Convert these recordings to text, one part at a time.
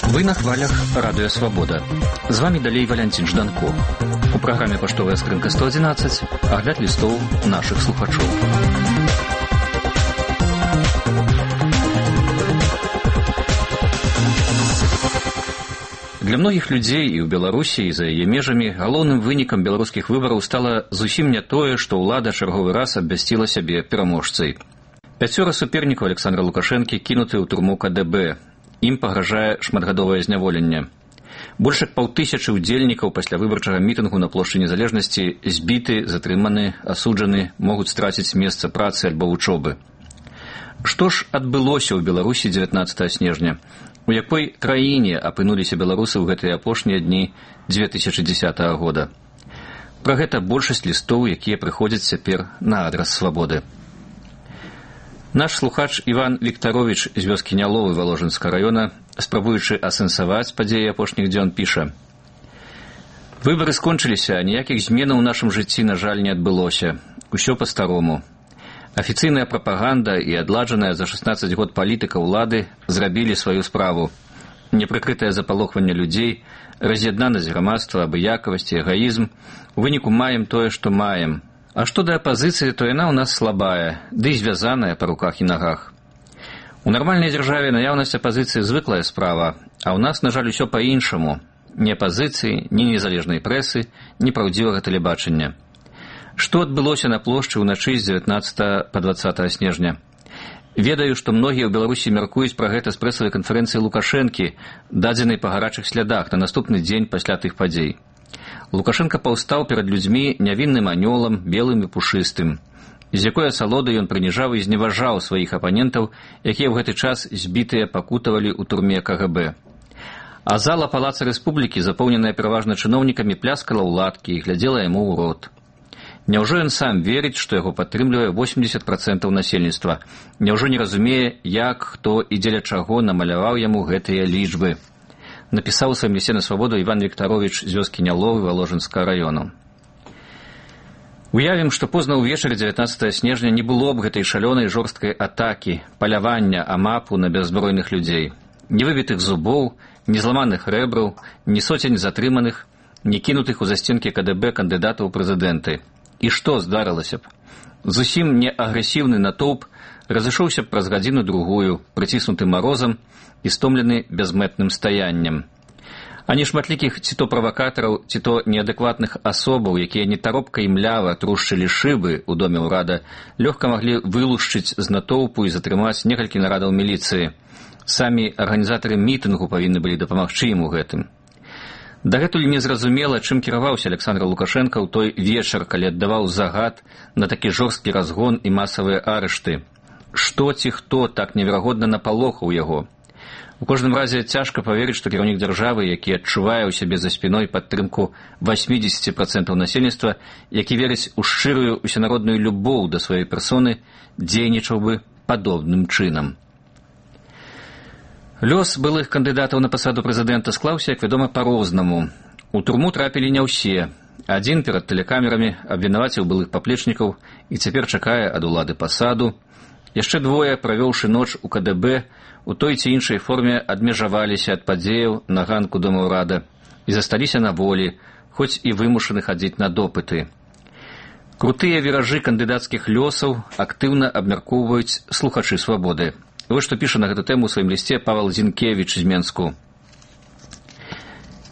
Вы на хвалях Радыё Свабода. З вами далей Валянцін Жданко. У праграме «Паштовая скрынка 111» агляд лістоў нашых слухачоў. Для многіх людзей і ў Беларусі, і за яе межамі галоўным вынікам беларускіх выбараў стала зусім не тое, што ўлада чарговы раз абвясціла сябе пераможцай. 5 супернікаў Александра Лукашэнкі кінуты ў турму КДБ. Ім пагражае шматгадовае зняволенне. Больш як 500 удзельнікаў пасля выбарчага мітынгу на плошчы Незалежнасці збіты, затрыманы, асуджаны, могуць страціць месца працы альбо вучобы. Што ж адбылося ў Беларусі 19 снежня? У якой краіне апынуліся беларусы ў гэтыя апошнія дні 2010 года? Пра гэта большасць лістоў, якія прыходзяць цяпер на адрас Свабоды. Наш слухач Іван Віктарович з вёскі Няловы Валожынскага раёна, спрабуючы асэнсаваць падзеі апошніх дзён, піша: «Выбары скончыліся, а ніякіх зменаў у нашым жыцці, на жаль, не адбылося. Усё па-старому. Афіцыйная прапаганда і адладжаная за 16 год палітыка ўлады зрабілі сваю справу. Непрыкрытае запалохванне людзей, раз'яднанасць грамадства, абыякавасць і эгоізм. У выніку маем тое, што маем. А што да апазіцыі, то яна ў нас слабая, ды і звязаная па руках і нагах. У нармальнай дзяржаве наяўнасць апазіцыі звыклая справа, а ў нас, на жаль, усё па-іншаму. Ні апазіцыі, ні незалежнай прэсы, ні праўдзівага тэлебачання. Што адбылося на плошчы ўначы з 19 па 20 снежня? Ведаю, што многія ў Беларусі мяркуюць пра гэта з прэсавай канферэнцыі Лукашэнкі, дадзенай па гарачых слядах на наступны дзень пасля тых падзей. Лукашенко паўстаў перад людзьмі нявінным анёлам, белым і пушыстым. З якой асалодай ён прыніжаў і зневажаў сваіх апанентаў, якія ў гэты час збітыя пакутавалі ў турме КГБ. А зала Палаца Рэспублікі, запоўненая пераважна чыноўнікамі, пляскала ў ладкі і глядзела яму ў рот. Няўжо ён сам верыць, што яго падтрымлівае 80% насельніцтва? Няўжо не разумее, як, хто і дзеля чаго намаляваў яму гэтыя лічбы? Напісаў у сваім лісце на Свабоду Іван Віктарович з вёскі Няловы Валожынскага раёну. Уявім, што позна ўвечары 19 снежня не было б гэтай шалёнай жорсткай атакі, палявання амапу на бяззбройных людзей. Ні выбітых зубоў, ні зламаных рэбраў, ні соцень затрыманых, ні кінутых у засценкі КДБ кандыдатаў у прэзідэнты. І што здарылася б? Зусім не агрэсіўны натоўп разышоўся б праз гадзіну-другую, прыціснуты марозам і стомлены бязмэтным стаяннем. А не шматлікіх ці то правакатараў, ці то неадэкватных асобаў, якія нетаропка і млява трушчылі шыбы ў доме ўрада, лёгка маглі вылушчыць з натоўпу і затрымаць некалькі нарадаў міліцыі. Самі арганізатары мітынгу павінны былі дапамагчы ім у гэтым. Дагэтуль незразумела, чым кіраваўся Александр Лукашенко ў той вечар, калі аддаваў загад на такі жорсткі разгон і масавыя арышты. Што ці хто так неверагодна напалохаў яго? У кожным разе цяжка паверыць, што кіраўнік дзяржавы, які адчувае ў сябе за спіной падтрымку 80% насельніцтва, які верыць у шчырую усенародную любоў да сваёй персоны, дзейнічаў бы падобным чынам. Лёс былых кандыдатаў на пасаду прэзідэнта склаўся, як вядома, па-рознаму. У турму трапілі не ўсе. Адзін перад тэлекамерамі абвінаваціў былых паплечнікаў і цяпер чакае ад улады пасаду. Яшчэ двое, правёўшы ноч у КДБ, у той ці іншай форме адмежаваліся ад падзеяў на ганку дома ўрада і засталіся на волі, хоць і вымушаны хадзіць на допыты. Крутыя віражы кандыдацкіх лёсаў актыўна абмяркоўваюць слухачы Свабоды. Вось што піша на гэту тэму ў сваім лісце Павел Зінкевіч з Менску.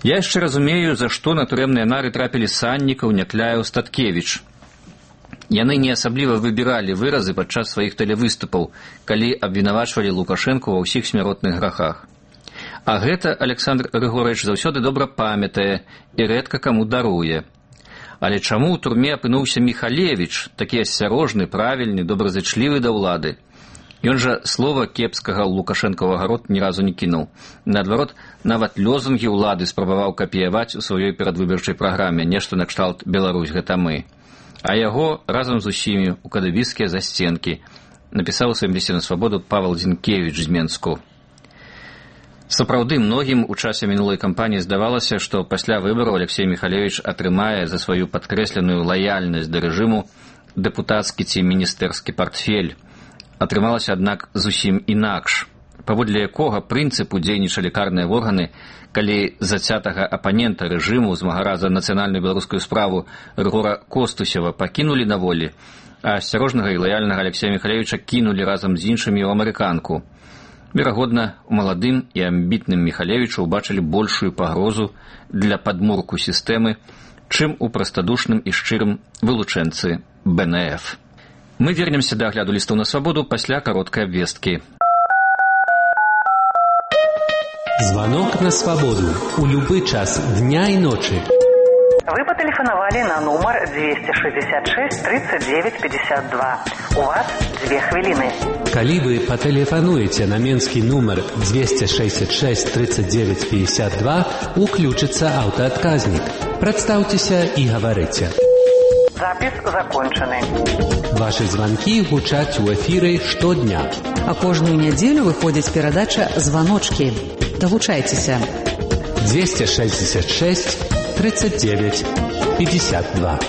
«Я яшчэ разумею, за што на турэмныя нары трапілі Саннікаў, Някляеў, Статкевіч. Яны не асабліва выбіралі выразы падчас сваіх тэлевыступаў, калі абвінавачвалі Лукашэнку ва ўсіх смяротных грахах. А гэта Александр Григорович заўсёды добра памятае і рэдка каму даруе. Але чаму ў турме апынуўся Міхалевіч, такі асцярожны, правільны, добразычлівы да ўлады? Ён жа слова кепскага ў Лукашэнкавага рот ні разу не кінуў. Наадварот, нават лозунгі ўлады спрабаваў капіяваць у сваёй перадвыбарчай праграме, нешта накшталт «Беларусь, гэта мы». А яго разам з усімі ў кадыбіцкія засценкі, напісаў у сваім лісце на Свабоду Павел Зінкевіч з Менску. Сапраўды, многім у часе мінулай кампаніі здавалася, што пасля выбараў Алексей Міхалевіч атрымае за сваю падкрэсленую лаяльнасць да рэжыму дэпутацкі ці міністэрскі партфель. Атрымалася, аднак, зусім інакш, паводле якога прынцыпу дзейнічалі карныя органы, калі зацятага апанента рэжыму, змагара за нацыянальную беларускую справу Рыгора Костусева пакінулі на волі, а асцярожнага і лаяльнага Алексея Михалевича кінулі разам з іншымі ў амерыканку. Верагодна, у маладым і амбітным Михалевичу ўбачылі большую пагрозу для падмурку сістэмы, чым у прастадушным і шчырым вылучэнцы БНФ. Мы вернемся да агляду лістаў на свабоду пасля кароткай абвесткі. Звонок на свободу. У любой час дня и ночи. Вы потелефоновали на номер 266 39 52. У вас 2 хвилины. Коли вы потелефонуете на менский номер 266 39 52, уключится автоотказник. Представьтеся и говорите. Запись закончены. Ваши звонки гучаць у эфире штодня. А кожную неделю выходит передача «Звоночки». Долучайтеся. 266 39 52.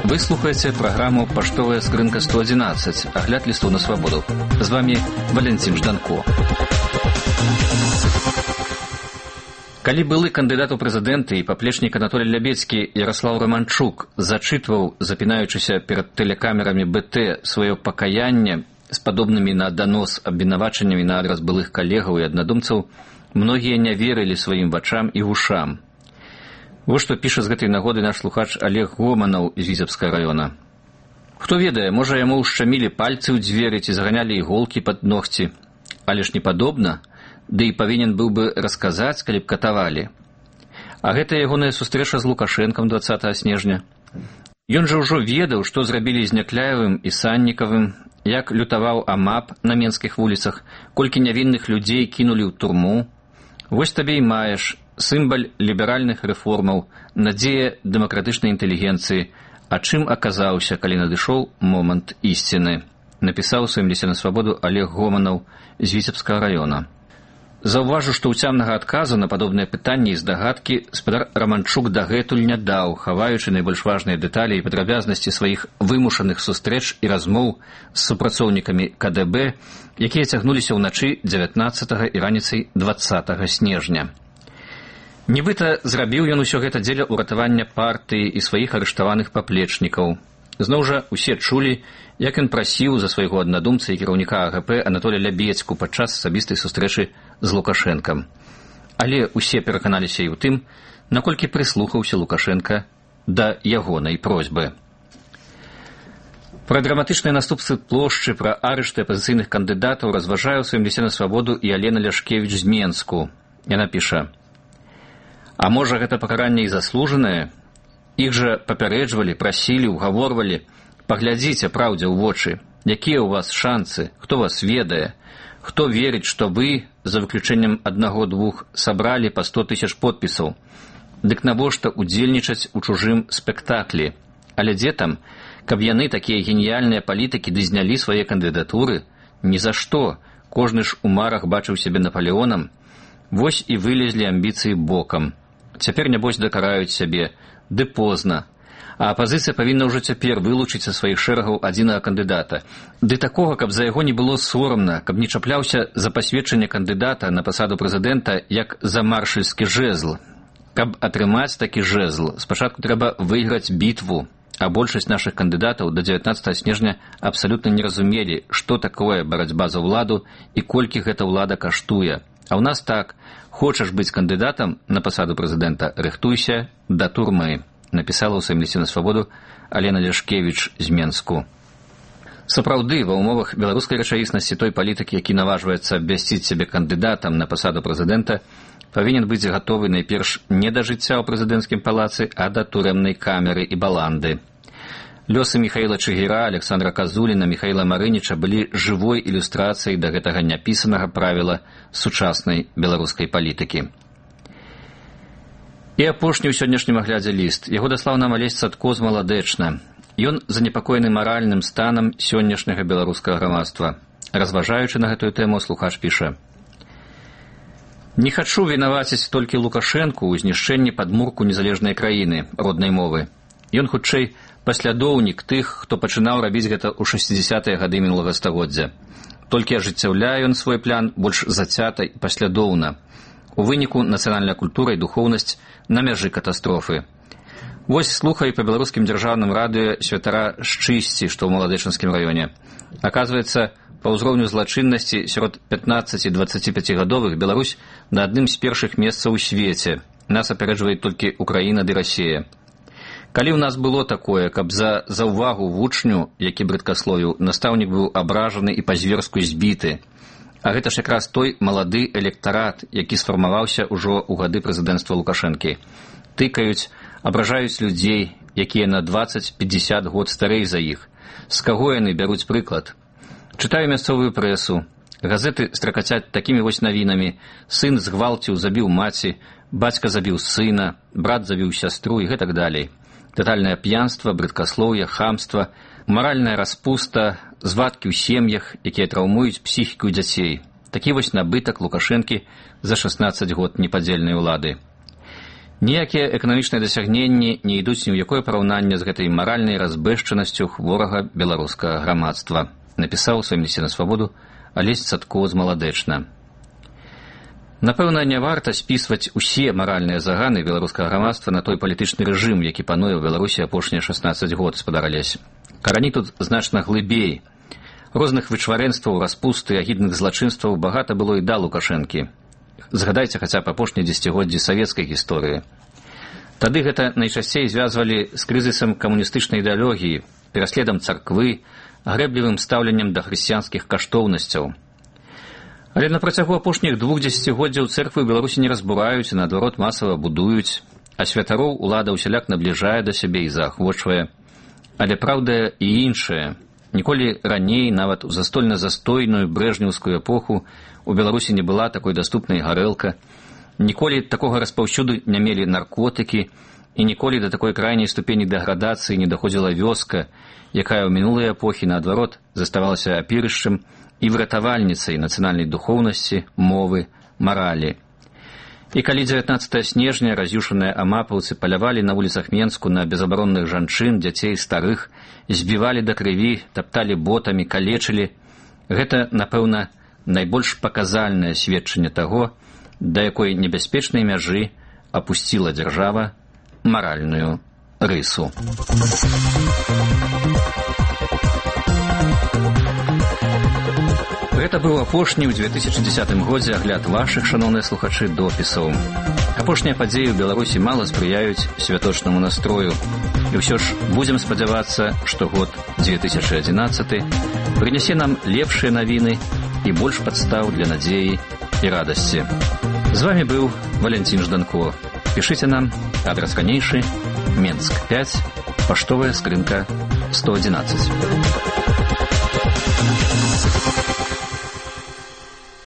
Вы слухаете программу «Поштовая скрынка 111», огляд листов на свободу. С вами Валентин Жданко. Калі былы кандыдат у прэзідэнты і паплечнік Анатолій Лябецкі Ярослаў Романчук зачытваў, запінаючыся перад тэлекамерамі БТ, сваё пакаянне з падобнымі на данос абвінавачаннямі на адрас былых калегаў і аднадумцаў, многія не верылі сваім вачам і вушам. Вось што піша з гэтай нагоды наш слухач Олег Гоманаў з Віцебскага раёна. Хто ведае, можа яму ўшчамілі пальцы ў дзверы ці заганялі іголкі пад ногці, але ж не падобна, ды і павінен быў бы расказаць, калі б катавалі. А гэта ягоная сустрэча з Лукашэнкам 20 снежня. Ён жа ўжо ведаў, што зрабілі з Някляевым і Саннікавым, як лютаваў АМАП на менскіх вуліцах, колькі нявінных людзей кінулі ў турму. Вось табе і маеш сімвал ліберальных рэформаў, надзея дэмакратычнай інтэлігенцыі, а чым аказаўся, калі надышоў момант ісціны, напісаў у сваім лісце на свабоду Олег Гоманаў з Віцебскага раёна. Заўважу, што ўцямнага адказу на падобныя пытанні і здагадкі спадар Романчук дагэтуль не даў, хаваючы найбольш важныя дэталі і падрабязнасці сваіх вымушаных сустрэч і размоў з супрацоўнікамі КДБ, якія цягнуліся ўначы 19 і раніцай 20 снежня. Нібыта зрабіў ён усё гэта дзеля ўратавання партыі і сваіх арыштаваных паплечнікаў. Зноў жа усе чулі, як ён прасіў за свайго аднадумца і кіраўніка АГП Анатолія Лябецку падчас асабістай сустрэчы з Лукашэнкам. Але усе пераканаліся і ў тым, наколькі прыслухаўся Лукашэнка да ягонай просьбы. Пра драматычныя наступствы плошчы, пра арышты апазіцыйных кандыдатаў разважае ў сваім лісце на свабоду і Алена Ляшкевіч з Менску. Яна піша: «А можа, гэта пакаранне і заслужанае? Іх жа папярэджвалі, прасілі, угаворвалі. Паглядзіце праўдзе ў вочы. Якія ў вас шанцы? Хто вас ведае? Хто верыць, што вы, за выключэннем 1-2, сабралі па 100 000 подпісаў? Дык навошта удзельнічаць у чужым спектаклі? Але дзе там, каб яны, такія геніяльныя палітыкі, ды знялі свае кандыдатуры? Ні за што. Кожны ж у марах бачыў сябе Наполеонам. Вось і вылезлі амбіцыі бокам. Цяпер, нябось, дакараюць сябе. Ды позна. А апазіцыя павінна ўжо цяпер вылучыць са сваіх шэрагаў адзінага кандыдата. Ды такога, каб за яго не было сорамна, каб не чапляўся за пасведчанне кандыдата на пасаду прэзідэнта як за маршальскі жэзл. Каб атрымаць такі жэзл, спачатку трэба выйграць бітву, а большасць нашых кандыдатаў да 19 снежня абсалютна не разумелі, што такое барацьба за ўладу і колькі гэта ўлада каштуе. А ў нас так: хочаш быць кандыдатам на пасаду прэзідэнта, рыхтуйся да турмы, напісала ў сваім лісце на свабоду Алена Ляшкевіч з Менску. Сапраўды, ва ўмовах беларускай рэчаіснасці той палітыкі, які наважваецца абвясціць сябе кандыдатам на пасаду прэзідэнта, павінен быць гатовы найперш не да жыцця ў прэзідэнцкім палацы, а да турэмнай камеры і баланды. Лёсы Міхаіла Чыгіра, Александра Казуліна, Міхаіла Марыніча былі жывой ілюстрацыяй да гэтага няпісанага правіла сучаснай беларускай палітыкі. І апошні ў сённяшнім аглядзе ліст. Яго даслаў нам Алесь Цадко з Маладэчна. Ён занепакоены маральным станам сённяшняга беларускага грамадства. Разважаючы на гэтую тэму, слухач піша: Не хачу вінаваціць толькі Лукашэнку ў знішчэнні падмурку незалежнай краіны, роднай мовы. Ён, хутчэй, паслядоўнік тых, хто пачынаў рабіць гэта ў 60-е гады мінулага стагоддзя. Толькі ажыццяўляе ён свой план больш зацята і паслядоўна. У выніку нацыянальная культура і духоўнасць на мяжы катастрофы. Вось слухай па беларускім дзяржаўным радыё святара Шчысці, што ў Маладэчынскім раёне. Аказваецца, па ўзроўню злачыннасці сярод 15-25гадовых Беларусь на адным з першых месцаў у свеце. Нас апярэджвае толькі Украіна ды Расія. Калі ў нас было такое, каб за ўвагу вучню, які брыдкасловіў, настаўнік быў абражаны і па-зверску збіты. А гэта ж якраз той малады электарат, які сфармаваўся ўжо ў гады прэзідэнцтва Лукашэнкі. Тыкаюць, абражаюць людзей, якія на 20-50 год старэй за іх. З каго яны бяруць прыклад? Чытаю мясцовую прэсу. Газеты стракацяць такімі вось навінамі. Сын згвалціў, забіў маці, бацька забіў сына, брат забіў сястру і гэтак далей. Татальнае п'янства, брыдкаслоўе, хамства, маральная распуста, звадкі ў сем'ях, якія траўмуюць псіхіку дзяцей. Такі вось набытак Лукашэнкі за 16 год непадзельнай улады. Ніякія эканамічныя дасягненні не ідуць ні ў якое параўнанне з гэтай маральнай разбэшчанасцю хворага беларускага грамадства, напісаў у сваім лісце на свабоду Алесь Цадко з Маладэчна. Напэўна, не варта спісваць усе маральныя заганы беларускага грамадства на той палітычны рэжым, які пануе ў Беларусі апошнія 16 год, спадар Алесь. Карані тут значна глыбей. Розных вычварэнстваў, распусты, агідных злачынстваў багата было і да Лукашэнкі. Згадайце хаця б апошнія дзесяцігоддзі савецкай гісторыі. Тады гэта найчасцей звязвалі з крызісам камуністычнай ідэалогіі, пераследам царквы, грэблівым стаўленнем да хрысціянскіх каштоўнасцяў. Але на працягу апошніх 2 дзесяцігоддзяў цэрквы ў Беларусі не разбураюць, а наадварот масава будуюць, а святароў улада ўсяляк набліжае да сябе і заахвочвае. Але праўда і іншая. Ніколі раней, нават у застольна-застойную брэжнеўскую эпоху, у Беларусі не была такой даступнай гарэлка, ніколі такога распаўсюду не мелі наркотыкі, і ніколі да такой крайняй ступені дэградацыі не даходзіла вёска, якая ў мінулыя эпохі, наадварот, заставалася апірышчам і выратавальніцай нацыянальнай духоўнасці, мовы, маралі. І калі 19 снежня раз'юшаныя амапаўцы палявалі на вуліцах Менску на безабаронных жанчын, дзяцей, старых, збівалі да крыві, тапталі ботамі, калечылі, гэта, напэўна, найбольш паказальнае сведчанне таго, да якой небяспечнай мяжы апусціла дзяржава маральную рысу. Гэта быў апошні ў 2010 годзе агляд вашых, шаноўныя слухачы, допісаў. Апошнія падзеі ў Беларусі мала спрыяюць святочнаму настрою. І ўсё ж будзем спадзявацца, што год 2011 прынясе нам лепшыя навіны і больш падстаў для надзеі і радасці. З вамі быў Валянцін Жданко. Пішыце нам, адрас ранейшы, Менск 5, паштовая скрынка 111.